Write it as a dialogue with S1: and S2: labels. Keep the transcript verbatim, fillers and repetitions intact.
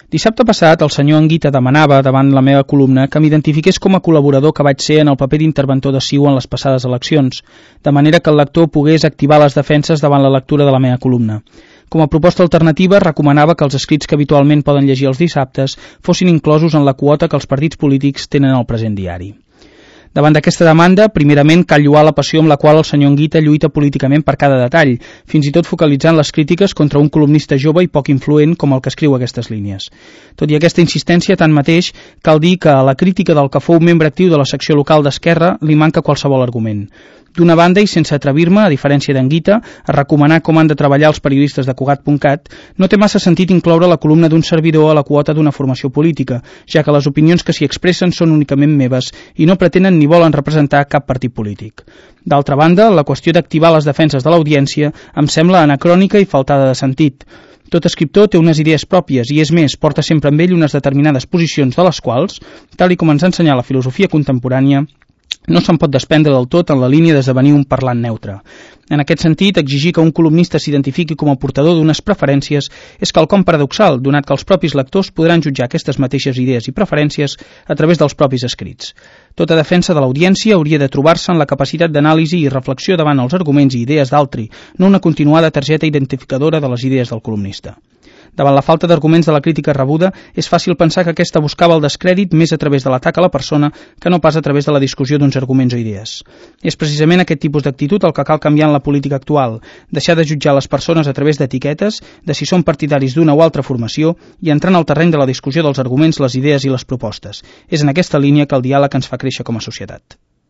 S1: Dissabte passat, el senyor Anguita demanava, davant la meva columna, que m'identifiqués com a col·laborador que vaig ser en el paper d'interventor de C I U en les passades eleccions, de manera que el lector pogués activar les defenses davant la lectura de la meva columna. Com a proposta alternativa, recomanava que els escrits que habitualment poden llegir els dissabtes fossin inclosos en la quota que els partits polítics tenen al present diari. Davant d'aquesta demanda, primerament cal lloar la passió amb la qual el senyor Anguita lluita políticament per cada detall, fins i tot focalitzant les crítiques contra un columnista jove i poc influent com el que escriu aquestes línies. Tot i aquesta insistència, tanmateix, cal dir que a la crítica del que fou membre actiu de la secció local d'Esquerra li manca qualsevol argument. D'una banda, i sense atrevir-me, a diferència d'Anguita, a recomanar com han de treballar els periodistes de Cugat punt cat, no té massa sentit incloure la columna d'un servidor a la quota d'una formació política, ja que les opinions que s'hi expressen són únicament meves i no pretenen ni volen representar cap partit polític. D'altra banda, la qüestió d'activar les defenses de l'audiència em sembla anacrònica i faltada de sentit. Tot escriptor té unes idees pròpies i, és més, porta sempre amb ell unes determinades posicions de les quals, tal i com ens ha ensenyat la filosofia contemporània, no se'n pot desprendre del tot en la línia d'esdevenir un parlant neutre. En aquest sentit, exigir que un columnista s'identifiqui com a portador d'unes preferències és quelcom paradoxal, donat que els propis lectors podran jutjar aquestes mateixes idees i preferències a través dels propis escrits. Tota defensa de l'audiència hauria de trobar-se en la capacitat d'anàlisi i reflexió davant els arguments i idees d'altri, no una continuada targeta identificadora de les idees del columnista. Davant la falta d'arguments de la crítica rebuda, és fàcil pensar que aquesta buscava el descrèdit més a través de l'atac a la persona que no pas a través de la discussió d'uns arguments o idees. És precisament aquest tipus d'actitud el que cal canviar en la política actual, deixar de jutjar les persones a través d'etiquetes, de si són partidaris d'una o altra formació, i entrar en el terreny de la discussió dels arguments, les idees i les propostes. És en aquesta línia que el diàleg ens fa créixer com a societat.